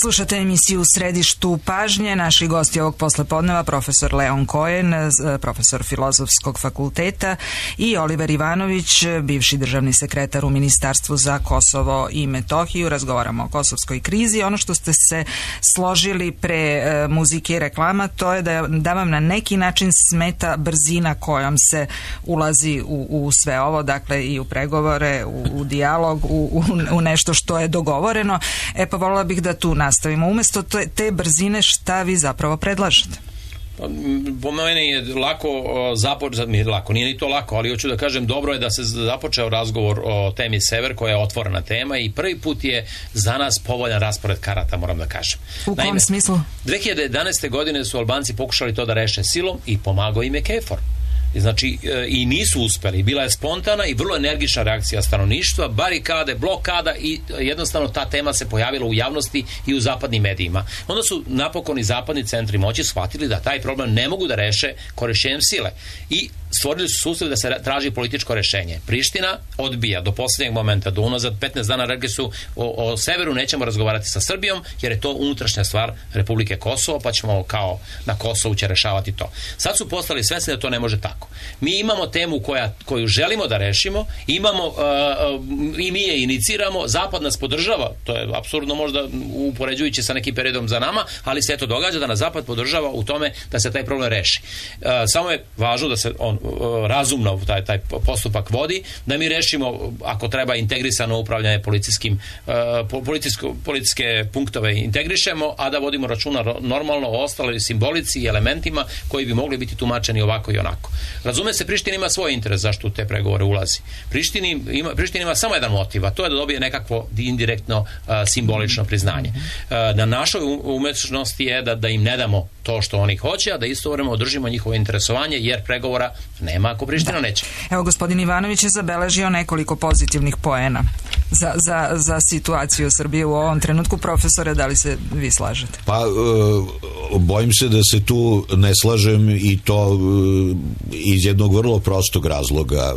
Slušate emisiju u središtu pažnje. Naši gosti ovog poslepodneva profesor Leon Cohen, profesor Filozofskog fakulteta, i Oliver Ivanović, bivši državni sekretar u Ministarstvu za Kosovo i Metohiju. Razgovaramo o kosovskoj krizi. Ono što ste se složili pre muzike i reklama, to je da, da vam na neki način smeta brzina kojom se ulazi u, u sve ovo, dakle i u pregovore, u, u dijalog, u, u, u nešto što je dogovoreno. E pa volila bih da tu nastavimo. Umesto te, te brzine, šta vi zapravo predlažete? Po meni je lako započeti, mi lako, nije ni to lako, ali hoću da kažem, dobro je da se započeo razgovor o temi Sever, koja je otvorena tema, i prvi put je za nas povoljan raspored karata, moram da kažem. U kom smislu? dve hiljade jedanaeste. godine su Albanci pokušali to da reše silom i pomagao im je KFOR. Znači, i nisu uspeli. Bila je spontana i vrlo energična reakcija stanovništva, barikade, blokada, i jednostavno ta tema se pojavila u javnosti i u zapadnim medijima. Onda su napokon i zapadni centri moći shvatili da taj problem ne mogu da reše korišćenjem sile i stvorili su sustav da se traži političko rešenje. Priština odbija do posljednjeg momenta, do unazad petnaest dana rekli su o, o severu nećemo razgovarati sa Srbijom, jer je to unutrašnja stvar Republike Kosovo, pa ćemo kao na Kosovu će rešavati to. Sad su postali svesni da to ne može tako. Mi imamo temu koja, koju želimo da rešimo, imamo uh, uh, i mi je iniciramo, Zapad nas podržava, to je apsurdno možda upoređujući sa nekim periodom za nama, ali se eto događa da nas Zapad podržava u tome da se taj problem reši. Uh, samo je važno da se on razumno taj, taj postupak vodi, da mi rešimo, ako treba, integrisano upravljanje policijskim uh, policijsko, policijske punktove integrišemo, a da vodimo računa normalno o ostaloj simbolici i elementima koji bi mogli biti tumačeni ovako i onako. Razume se, Priština ima svoj interes zašto u te pregovore ulazi. Prištini ima, Priština ima samo jedan motiv, a to je da dobije nekakvo indirektno uh, simbolično priznanje. Uh, na našoj umešnosti je da, da im ne damo to što oni hoće, a da istovremeno održimo njihovo interesovanje, jer pregovora nema ako Priština da. neće. Evo, gospodin Ivanović je zabeležio nekoliko pozitivnih poena za, za, za situaciju Srbije u ovom trenutku. Profesore, da li se vi slažete? Pa, e, bojim se da se tu ne slažem, i to e, iz jednog vrlo prostog razloga.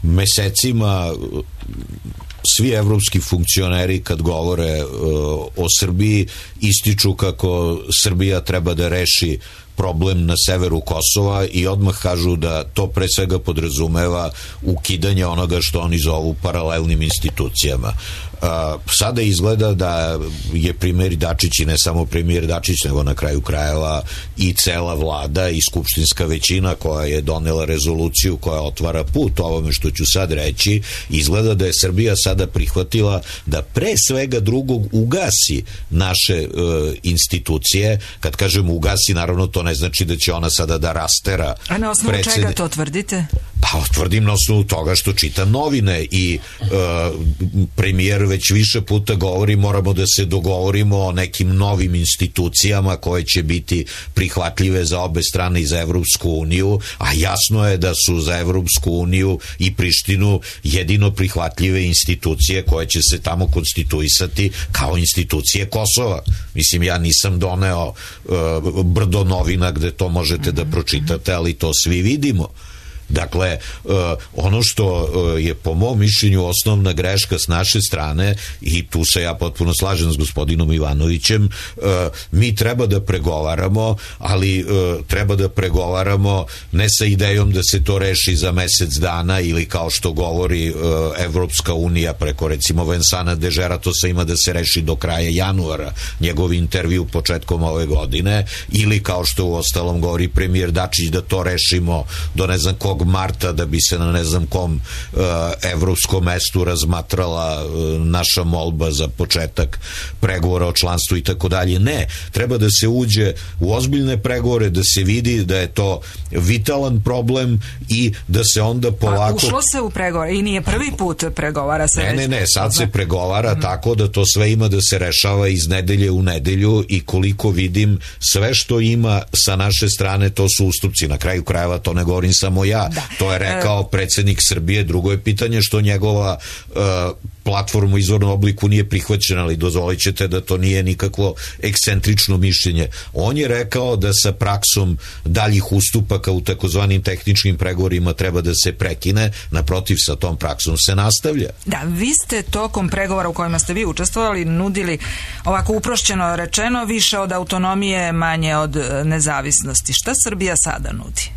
Mesecima svi evropski funkcioneri, kad govore uh, o Srbiji, ističu kako Srbija treba da reši problem na severu Kosova, i odmah kažu da to pre svega podrazumeva ukidanje onoga što oni zovu paralelnim institucijama. Uh, sada izgleda da je premijer Dačić, i ne samo premijer Dačić, nego na kraju krajeva i cela vlada i skupštinska većina koja je donela rezoluciju koja otvara put ovome što ću sad reći, izgleda da je Srbija sada prihvatila da pre svega drugog ugasi naše uh, institucije. Kad kažem ugasi, naravno to ne znači da će ona sada da rastera. A na osnovu predsed... čega to tvrdite? Pa tvrdim na osnovu toga što čitam novine, i uh, premijer već više puta govori moramo da se dogovorimo o nekim novim institucijama koje će biti prihvatljive za obe strane i za Evropsku uniju, a jasno je da su za Evropsku uniju i Prištinu jedino prihvatljive institucije koje će se tamo konstituisati kao institucije Kosova. Mislim, ja nisam doneo uh, brdo novina gde to možete da pročitate, ali to svi vidimo. Dakle, uh, ono što uh, je po mom mišljenju osnovna greška s naše strane, i tu se ja potpuno slažem s gospodinom Ivanovićem, uh, mi treba da pregovaramo, ali uh, treba da pregovaramo ne sa idejom da se to reši za mesec dana, ili kao što govori uh, Evropska unija preko recimo Vensana Dežera, to se ima da se reši do kraja januara, njegov intervju početkom ove godine, ili kao što u ostalom govori premijer Dačić da to rešimo do ne znam kog marta, da bi se na ne znam kom uh, evropskom mestu razmatrala uh, naša molba za početak pregovora o članstvu i tako dalje. Ne, treba da se uđe u ozbiljne pregovore, da se vidi da je to vitalan problem i da se onda polako... Pa ušlo se u pregovore i nije prvi put pregovara se... Ne, ne, ne, sad se pregovara mm. tako da to sve ima da se rešava iz nedelje u nedelju, i koliko vidim sve što ima sa naše strane to su ustupci. Na kraju krajeva to ne govorim samo ja, Da, da, to je rekao predsjednik Srbije. Drugo je pitanje što njegova uh, platforma u izvornom obliku nije prihvaćena, ali dozvolit ćete da to nije nikakvo ekscentrično mišljenje. On je rekao da sa praksom daljih ustupaka u takozvanim tehničkim pregovorima treba da se prekine, naprotiv sa tom praksom se nastavlja. Da, vi ste tokom pregovora u kojima ste vi učestvovali nudili, ovako uprošćeno rečeno, više od autonomije, manje od nezavisnosti. Šta Srbija sada nudi?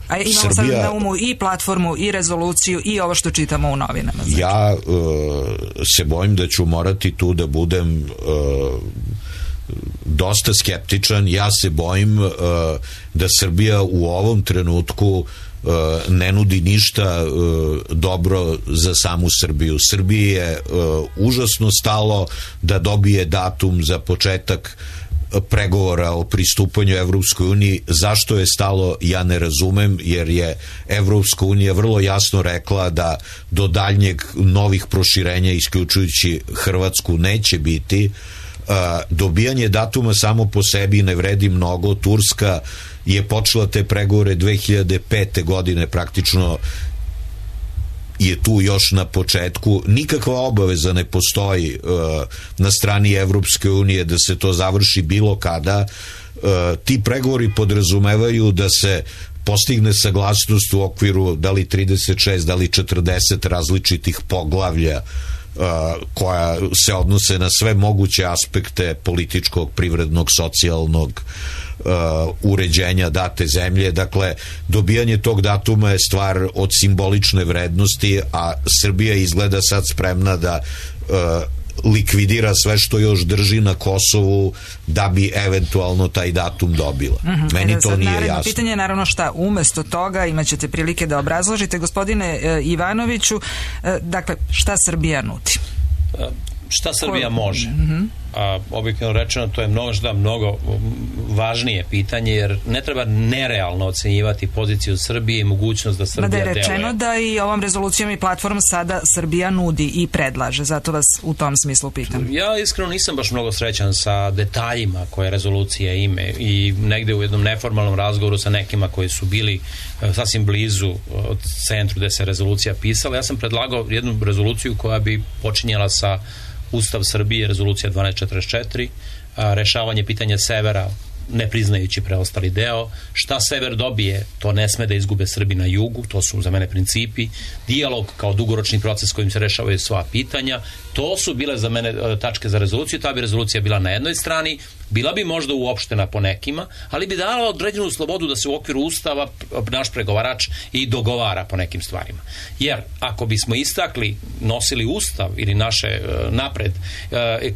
A imamo Srbija, sad na umu i platformu, i rezoluciju, i ovo što čitamo u novinama. Znači. Ja uh, se bojim da ću morati tu da budem uh, dosta skeptičan. Ja se bojim uh, da Srbija u ovom trenutku uh, ne nudi ništa uh, dobro za samu Srbiju. Srbiji je uh, užasno stalo da dobije datum za početak pregovora o pristupanju Evropskoj uniji. Zašto je stalo, ja ne razumem, jer je Evropska unija vrlo jasno rekla da do daljnjeg novih proširenja, isključujući Hrvatsku, neće biti. Dobijanje datuma samo po sebi ne vredi mnogo. Turska je počela te pregovore dve hiljade pete godine, praktično je tu još na početku. Nikakva obaveza ne postoji uh, na strani Evropske unije da se to završi bilo kada. Uh, ti pregovori podrazumevaju da se postigne saglasnost u okviru da li trideset šest, da li četrdeset različitih poglavlja uh, koja se odnose na sve moguće aspekte političkog, privrednog, socijalnog Uh, uređenja date zemlje. Dakle, dobijanje tog datuma je stvar od simbolične vrednosti, a Srbija izgleda sad spremna da uh, likvidira sve što još drži na Kosovu da bi eventualno taj datum dobila. Mm-hmm. Meni e, to nije jasno. Pitanje je naravno šta umesto toga, imat ćete prilike da obrazložite. Gospodine uh, Ivanoviću, uh, dakle, šta Srbija nudi? Uh, šta Srbija Ko... može? Mm-hmm. A objektivno rečeno to je mnogo, mnogo važnije pitanje, jer ne treba nerealno ocenjivati poziciju Srbije i mogućnost da Srbija deluje. Da je rečeno da i ovom rezolucijom i platformom sada Srbija nudi i predlaže, zato vas u tom smislu pitam. Ja iskreno nisam baš mnogo srećan sa detaljima koje rezolucija ime i negde u jednom neformalnom razgovoru sa nekima koji su bili sasvim blizu od centru gde se rezolucija pisala, ja sam predlagao jednu rezoluciju koja bi počinjala sa Ustav Srbije, rezolucija dvanaest četrdeset četiri, a, rešavanje pitanja severa ne priznajući preostali deo. Šta sever dobije, to ne sme da izgube Srbi na jugu, to su za mene principi. Dijalog kao dugoročni proces kojim se rešavaju sva pitanja, to su bile za mene tačke za rezoluciju. Ta bi rezolucija bila na jednoj strani, bila bi možda uopštena po nekima, ali bi dala određenu slobodu da se u okviru Ustava naš pregovarač i dogovara po nekim stvarima. Jer ako bismo istakli, nosili Ustav ili naše napred,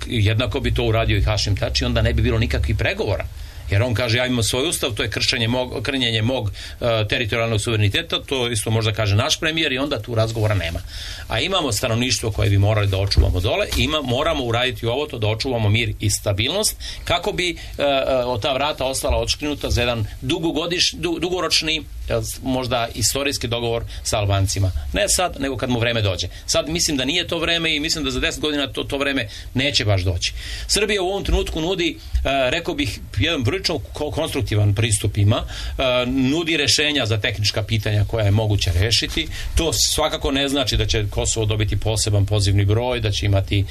jednako bi to uradio i Hašim Tači, onda ne bi bilo nikakvih pregovora. Jer on kaže, ja imam svoj ustav, to je kršenje mog, krnjenje mog uh, teritorijalnog suvereniteta, to isto možda kaže naš premijer i onda tu razgovora nema. A imamo stanovništvo koje bi morali da očuvamo dole i ima, moramo uraditi ovo to da očuvamo mir i stabilnost kako bi uh, uh, ta vrata ostala odškrinuta za jedan dugogodiš, du, dugoročni možda istorijski dogovor sa Albancima. Ne sad, nego kad mu vreme dođe. Sad mislim da nije to vreme i mislim da za deset godina to, to vreme neće baš doći. Srbija u ovom trenutku nudi, uh, rekao bih, jedan prilično konstruktivan pristup ima, uh, nudi rešenja za tehnička pitanja koja je moguće rešiti. To svakako ne znači da će Kosovo dobiti poseban pozivni broj, da će imati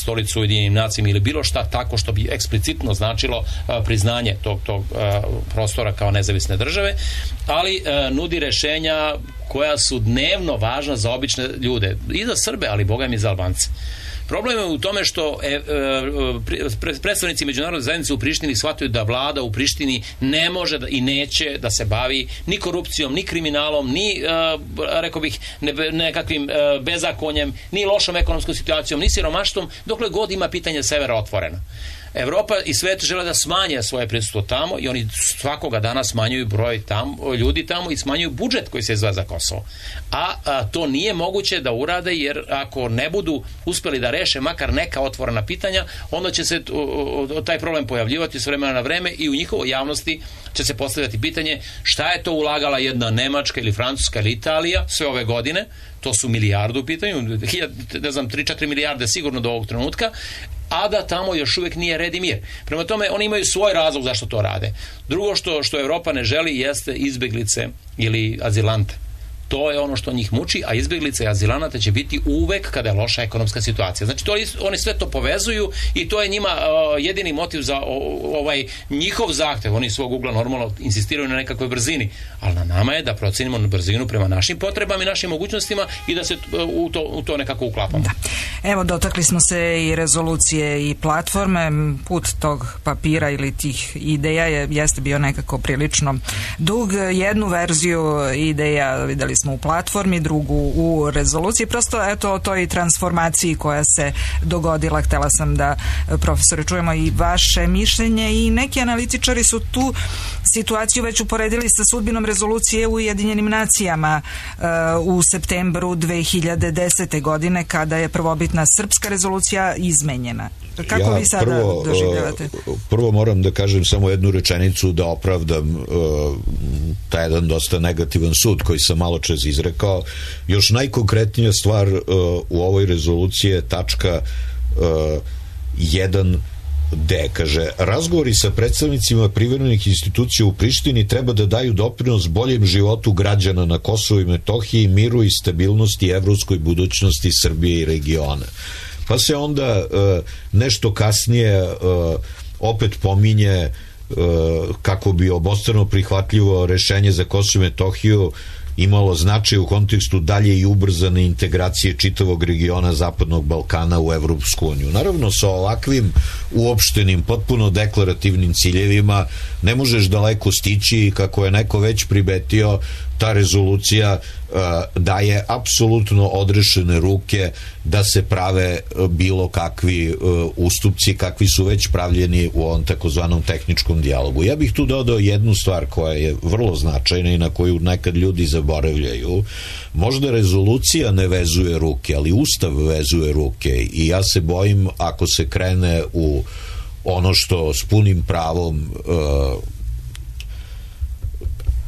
stolicu u Ujedinjenim nacijama ili bilo šta tako što bi eksplicitno značilo uh, priznanje tog, tog uh, prostora kao nezavisne države, ali uh, nudi rešenja koja su dnevno važna za obične ljude i za Srbe, ali boga mi za Albance. Problem je u tome što e, e, predstavnici međunarodne zajednice u Prištini shvataju da vlada u Prištini ne može da, i neće da se bavi ni korupcijom, ni kriminalom, ni, e, rekao bih, ne, nekakvim e, bezakonjem, ni lošom ekonomskom situacijom, ni siromaštvom, dokle god ima pitanje severa otvoreno. Evropa i svet žele da smanje svoje prisustvo tamo i oni svakoga dana smanjuju broj tamo, ljudi tamo i smanjuju budžet koji se izdvaja za Kosovo. A, a to nije moguće da urade, jer ako ne budu uspeli da reše makar neka otvorena pitanja, onda će se o, o, taj problem pojavljivati s vremena na vreme i u njihovoj javnosti će se postavljati pitanje šta je to ulagala jedna Nemačka ili Francuska ili Italija sve ove godine. To su milijardu u pitanju, ne znam, tri četiri milijarde sigurno do ovog trenutka. a da tamo još uvijek nije red i mir. Prema tome, oni imaju svoj razlog zašto to rade. Drugo što, što Evropa ne želi jeste izbeglice ili azilante. To je ono što njih muči, a izbjeglice i azilanata će biti uvek kada je loša ekonomska situacija. Znači, to, oni sve to povezuju i to je njima uh, jedini motiv za o, ovaj njihov zahtev. Oni svog ugla normalno insistiraju na nekakvoj brzini, ali na nama je da procenimo brzinu prema našim potrebama i našim mogućnostima i da se u to, u to nekako uklapamo. Da. Evo, dotakli smo se i rezolucije i platforme. Put tog papira ili tih ideja je, jeste bio nekako prilično dug. Jednu verziju ideja videli smo u platformi, drugu u rezoluciji. Prosto, eto, o toj transformaciji koja se dogodila, htela sam da, profesore, čujemo i vaše mišljenje, i neki analitičari su tu situaciju već uporedili sa sudbinom rezolucije u Ujedinjenim nacijama uh, u septembru dve hiljade desete. godine, kada je prvobitna srpska rezolucija izmenjena. Kako ja vi sada prvo, doživljavate? Prvo moram da kažem samo jednu rečenicu da opravdam uh, taj jedan dosta negativan sud koji sam malo čas izrekao. Još najkonkretnija stvar uh, u ovoj rezoluciji je tačka uh, jedan D, kaže, razgovori sa predstavnicima privremenih institucija u Prištini treba da daju doprinos boljem životu građana na Kosovu i Metohiji, miru i stabilnosti i evropskoj budućnosti Srbije i regiona. Pa se onda uh, nešto kasnije uh, opet pominje uh, kako bi obostrano prihvatljivo rešenje za Kosovo i Metohiju imalo značaj u kontekstu dalje i ubrzane integracije čitavog regiona Zapadnog Balkana u Evropsku uniju. Naravno, sa ovakvim uopštenim, potpuno deklarativnim ciljevima ne možeš daleko stići i kako je neko već primetio, ta rezolucija uh, daje apsolutno odrešene ruke da se prave uh, bilo kakvi uh, ustupci kakvi su već pravljeni u ovom takozvanom tehničkom dijalogu. Ja bih tu dodao jednu stvar koja je vrlo značajna i na koju nekad ljudi zaboravljaju. Možda rezolucija ne vezuje ruke, ali Ustav vezuje ruke i ja se bojim ako se krene u ono što s punim pravom uh,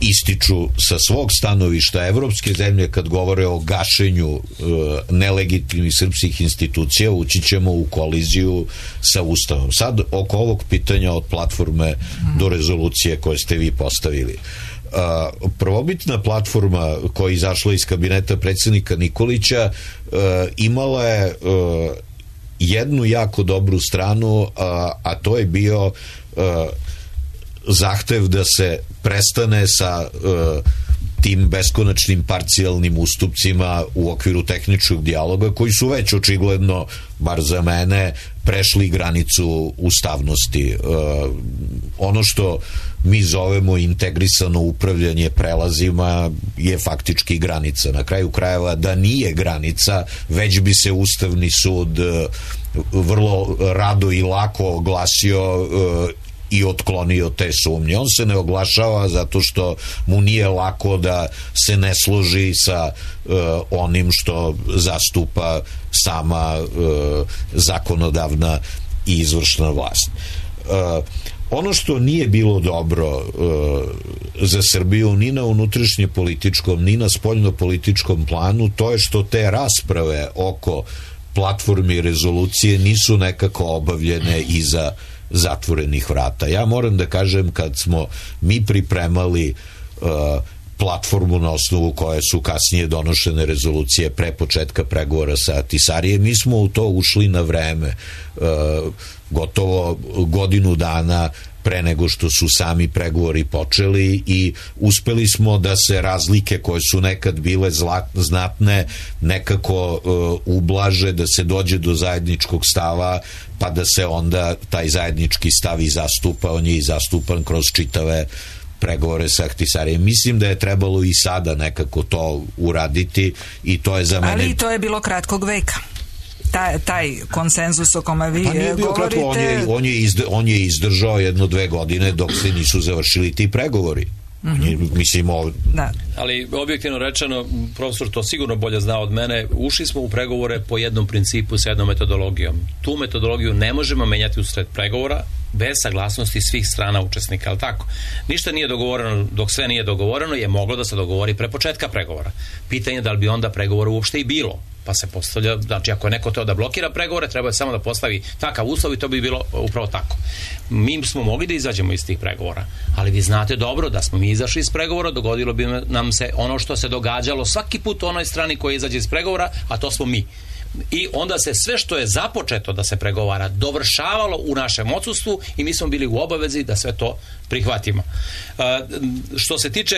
ističu sa svog stanovišta evropske zemlje kad govore o gašenju e, nelegitimnih srpskih institucija, ući ćemo u koliziju sa Ustavom. Sad, oko ovog pitanja od platforme mm. do rezolucije koje ste vi postavili. E, prvobitna platforma koja je izašla iz kabineta predsjednika Nikolića e, imala je e, jednu jako dobru stranu, a, a to je bio e, zahtev da se prestane sa uh, tim beskonačnim parcijalnim ustupcima u okviru tehničkog dijaloga koji su već očigledno, bar za mene, prešli granicu ustavnosti. Uh, ono što mi zovemo integrisano upravljanje prelazima je faktički granica. Na kraju krajeva, da nije granica, već bi se Ustavni sud uh, vrlo rado i lako oglasio uh, i otklonio te sumnje. On se ne oglašava zato što mu nije lako da se ne složi sa uh, onim što zastupa sama uh, zakonodavna i izvršna vlast. Uh, ono što nije bilo dobro uh, za Srbiju ni na unutrašnje političkom, ni na spoljno političkom planu, to je što te rasprave oko platforme i rezolucije nisu nekako obavljene iza zatvorenih vrata. Ja moram da kažem, kad smo mi pripremali uh, platformu na osnovu koje su kasnije donošene rezolucije pre početka pregovora sa Ahtisarijem, mi smo u to ušli na vreme, uh, gotovo godinu dana pre nego što su sami pregovori počeli, i uspeli smo da se razlike koje su nekad bile zla, znatne nekako uh, ublaže, da se dođe do zajedničkog stava, pa da se onda taj zajednički stav i zastupa. On je i zastupan kroz čitave pregovore sa Ahtisarijem. Mislim da je trebalo i sada nekako to uraditi, i to je za mene... Ali to je bilo kratkog veka. Taj, taj konsenzus o kome vi pa nije bio govorite... Kratko, on, je, on, je izdr, on je izdržao jedno dve godine dok se nisu završili ti pregovori. Mm-hmm. Mislim, ov... da. Ali objektivno rečeno, profesor to sigurno bolje zna od mene, ušli smo u pregovore po jednom principu sa jednom metodologijom. Tu metodologiju ne možemo menjati usred pregovora bez saglasnosti svih strana učesnika, ali tako? Ništa nije dogovoreno, dok sve nije dogovoreno je moglo da se dogovori pre početka pregovora. Pitanje je da li bi onda pregovora uopšte i bilo. Pa se postavlja, znači ako je neko teo da blokira pregovore, treba je samo da postavi takav uslov i to bi bilo upravo tako. Mi smo mogli da izađemo iz tih pregovora, ali vi znate dobro da smo mi izašli iz pregovora, dogodilo bi nam se ono što se događalo svaki put onoj strani koja izađe iz pregovora, a to smo mi. I onda se sve što je započeto da se pregovara dovršavalo u našem odsustvu i mi smo bili u obavezi da sve to prihvatimo. E, što se tiče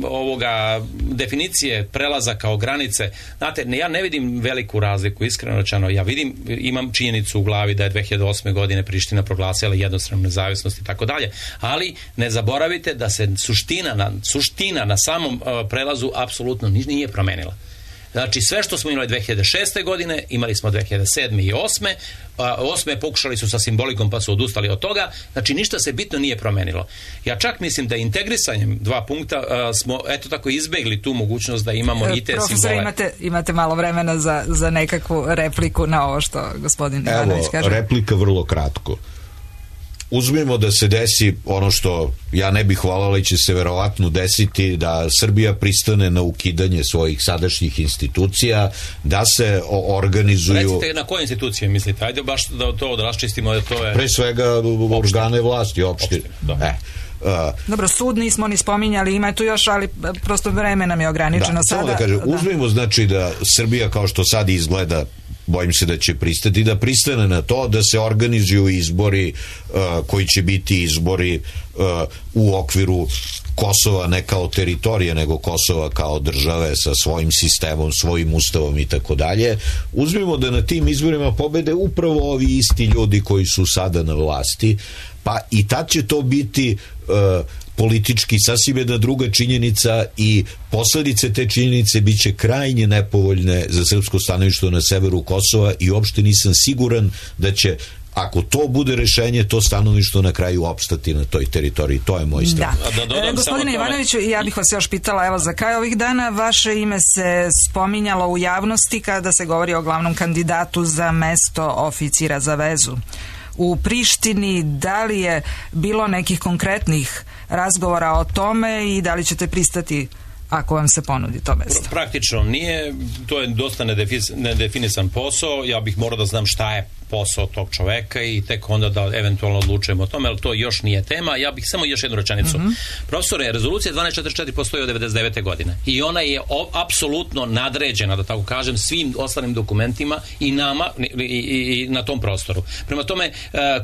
ovoga definicije prelaza kao granice, znate, ja ne vidim veliku razliku, iskreno rečeno. Ja vidim, imam činjenicu u glavi da je dve hiljade osme godine Priština proglasila jednostranu nezavisnost i tako dalje, ali ne zaboravite da se suština na, suština na samom uh, prelazu apsolutno nije promenila. Znači, sve što smo imali dve hiljade šeste. godine, imali smo dve hiljade sedme. i osme. osme pokušali su sa simbolikom pa su odustali od toga. Znači, ništa se bitno nije promenilo. Ja čak mislim da integrisanjem dva punkta a, smo, eto tako, izbegli tu mogućnost da imamo i te Profesor, simbole. Imate, imate malo vremena za, za nekakvu repliku na ovo što gospodin Ivanović kaže. Evo, replika vrlo kratko. Uzmimo da se desi ono što ja ne bih volao, ali će se verovatno desiti, da Srbija pristane na ukidanje svojih sadašnjih institucija, da se organizuju... Recite na koje institucije mislite? Ajde baš da to da raščistimo. Da to je... Pre svega organe vlasti, opšte. E, Uh, Dobro, sud nismo ni spominjali, ima tu još, ali prosto vreme nam je ograničeno da, sada. Samo da kažem, da. Uzmimo znači da Srbija kao što sad izgleda, bojim se da će pristati, da pristane na to da se organizuju izbori uh, koji će biti izbori uh, u okviru Kosova, ne kao teritorije, nego Kosova kao države sa svojim sistemom, svojim ustavom i tako dalje. Uzmimo da na tim izborima pobede upravo ovi isti ljudi koji su sada na vlasti, pa i tad će to biti uh, politički sasvim jedna druga činjenica i posledice te činjenice bit će krajnje nepovoljne za srpsko stanovište na severu Kosova i uopšte nisam siguran da će, ako to bude rešenje, to stanovište na kraju opstati na toj teritoriji. To je moj stav. Da. Da, e, gospodine Ivanoviću, ja bih vas još pitala, evo za kraj ovih dana, vaše ime se spominjalo u javnosti kada se govori o glavnom kandidatu za mesto oficira za vezu u Prištini. Da li je bilo nekih konkretnih razgovora o tome i da li ćete pristati ako vam se ponudi to mesto? Praktično nije, to je dosta nedefinisan posao, ja bih morao da znam šta je posao tog čoveka i tek onda da eventualno odlučujemo o tome, ali to još nije tema. Ja bih samo još jednu rečenicu. Mm-hmm. Profesore, rezolucija dvanaest četrdeset četiri postoji od devedeset devete. godine i ona je o, apsolutno nadređena, da tako kažem, svim ostalim dokumentima i nama i, i, i na tom prostoru. Prema tome, e,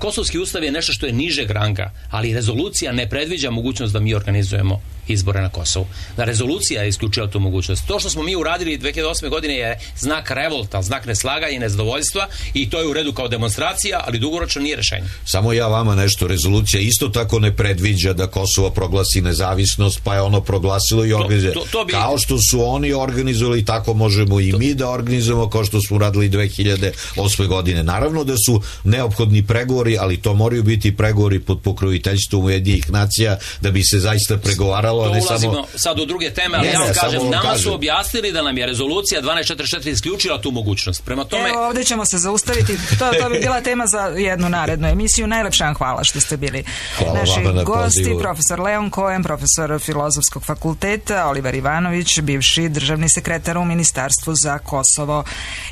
Kosovski ustav je nešto što je nižeg ranga, ali rezolucija ne predviđa mogućnost da mi organizujemo izbore na Kosovu. Da rezolucija je isključila tu mogućnost. To što smo mi uradili dve hiljade osme. godine je znak revolta, znak neslaganja i nezadovoljstva i to je u redu kao demonstracija, ali dugoročno nije rešenje. Samo ja vama nešto, rezolucija isto tako ne predviđa da Kosovo proglasi nezavisnost, pa je ono proglasilo i organizuje. To, to, to bi... Kao što su oni organizovali, tako možemo i to... mi da organizujemo, kao što smo radili dve hiljade osme. godine. Naravno da su neophodni pregovori, ali to moraju biti pregovori pod pokroviteljstvom Ujedinjenih nacija da bi se zaista pregovaralo. To ne ulazimo samo... sad u druge teme, ali ne, ja vam kažem, nama kažem. su objasnili da nam je rezolucija dvanaest četrdeset četiri isključila tu mogućnost. Prema tome... Evo, ovdje ćemo se zaustaviti. To, to bi bila tema za jednu narednu emisiju. Najlepša vam hvala što ste bili hvala naši na gosti. pozivu. Profesor Leon Cohen, profesor Filozofskog fakulteta, Oliver Ivanović, bivši državni sekretar u Ministarstvu za Kosovo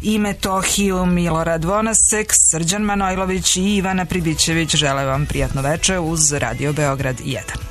i Metohiju, Milorad Vonasek, Srđan Manojlović i Ivana Pribićević. Žele vam prijatno veče uz Radio Beograd jedan.